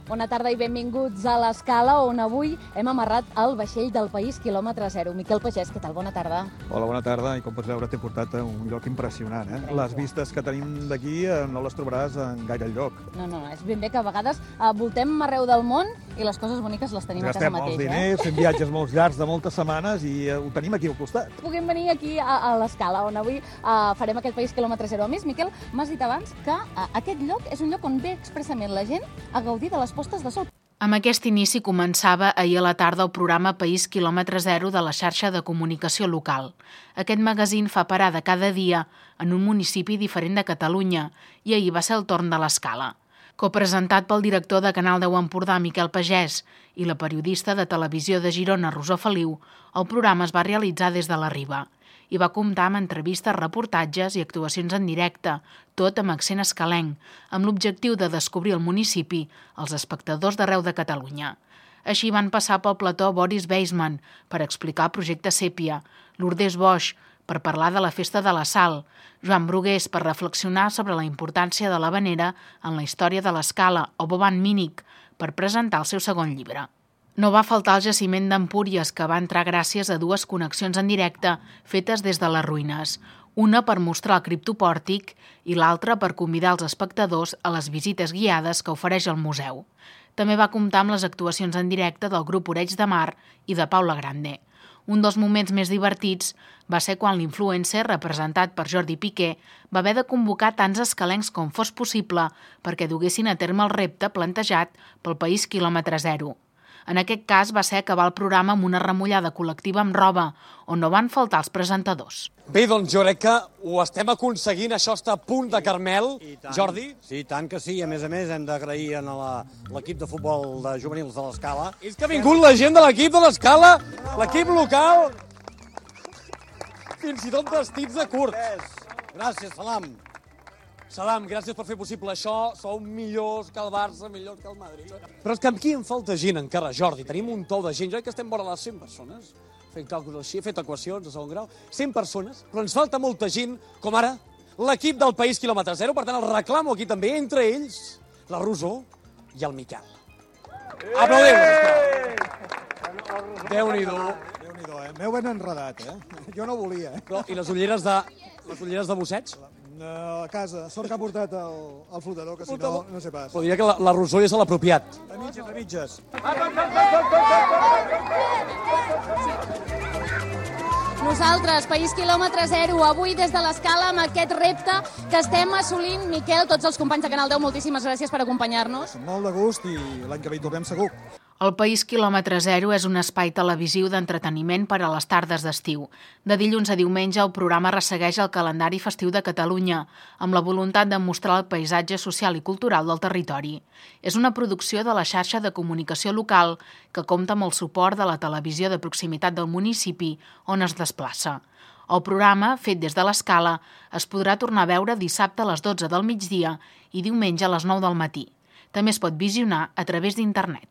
Bona tarda i benvinguts a l'Escala, on avui hem amarrat el vaixell del País quilòmetre zero. Miquel Pagès, què tal? Bona tarda. Hola, bona tarda. I com pots veure, t'he portat a un lloc impressionant. Les vistes que tenim d'aquí no les trobaràs en gaire lloc. No, és ben bé que a vegades voltem arreu del món i les coses boniques les tenim a casa mateix. Gastem molts diners, fem viatges molt llargs de moltes setmanes i ho tenim aquí al costat. Puguem venir aquí a l'Escala, on avui farem aquest País quilòmetre zero. A més, Miquel, m'has dit abans que aquest lloc és un lloc on ve expressament la gent a gaudir de les postes de sol. Amb aquest inici començava ahir a la tarda el programa País quilòmetre zero de la xarxa de comunicació local. Aquest magazín fa parada cada dia en un municipi diferent de Catalunya i ahir va ser el torn de l'Escala. Copresentat pel director de Canal 10 Empordà, Miquel Pagès, i la periodista de Televisió de Girona, Rosó Feliu, el programa es va realitzar des de la Riba i va comptar amb entrevistes, reportatges i actuacions en directe, tot amb accent escalenc, amb l'objectiu de descobrir el municipi als espectadors d'arreu de Catalunya. Així van passar pel plató Boris Weissman per explicar el projecte Sèpia, Lourdes Bosch per parlar de la Festa de la Sal, Joan Brugués per reflexionar sobre la importància de l'havanera en la història de l'Escala o Boban Mínic per presentar el seu segon llibre. No va faltar el jaciment d'Empúries, que va entrar gràcies a dues connexions en directe fetes des de les ruïnes, una per mostrar el criptopòrtic i l'altra per convidar els espectadors a les visites guiades que ofereix el museu. També va comptar amb les actuacions en directe del grup Oreig de Mar i de Paula Grande. Un dels moments més divertits va ser quan l'influencer, representat per Jordi Piqué, va haver de convocar tants escalencs com fos possible perquè duguessin a terme el repte plantejat pel País quilòmetre zero. En aquest cas va ser acabar el programa amb una remullada col·lectiva amb roba, on no van faltar els presentadors. Bé, doncs jo crec que ho estem aconseguint, això està a punt de Carmel. Jordi? Sí, tant que sí. A més hem d'agrair a l'equip de futbol de juvenils de l'Escala. És que ha vingut la gent de l'equip de l'Escala, l'equip local, fins i tot vestits de curt. Gràcies, Salam. Salam, gràcies per fer possible això. Sou millors que el Barça, millors que el Madrid. Però és que aquí em falta gent encara, Jordi. Tenim un tou de gent. Jo crec que estem vora les 100 persones. Fent càlculs així, he fet equacions de segon grau. 100 persones, però ens falta molta gent, com ara l'equip del País quilòmetre zero. Per tant, el reclamo aquí també, entre ells, la Rosó i el Miquel. Aplaudim! Déu-n'hi-do. Déu-n'hi-do, m'heu ben enredat, Jo no volia, Però, i les ulleres de busseig? A casa, sort que ha portat el flotador, que si no, no sé pas. Però diria que la Rosó ja és l'apropiat. A mitges. Nosaltres, País quilòmetre zero, avui des de l'Escala amb aquest repte que estem assolint. Miquel, tots els companys de Canal 10, moltíssimes gràcies per acompanyar-nos. Molt de gust i l'any que ve hi tornem segur. El País quilòmetre zero és un espai televisiu d'entreteniment per a les tardes d'estiu. De dilluns a diumenge el programa ressegueix el calendari festiu de Catalunya, amb la voluntat de mostrar el paisatge social i cultural del territori. És una producció de la xarxa de comunicació local que compta amb el suport de la televisió de proximitat del municipi on es desplaça. El programa, fet des de l'Escala, es podrà tornar a veure dissabte a les 12 del migdia i diumenge a les 9 del matí. També es pot visionar a través d'internet.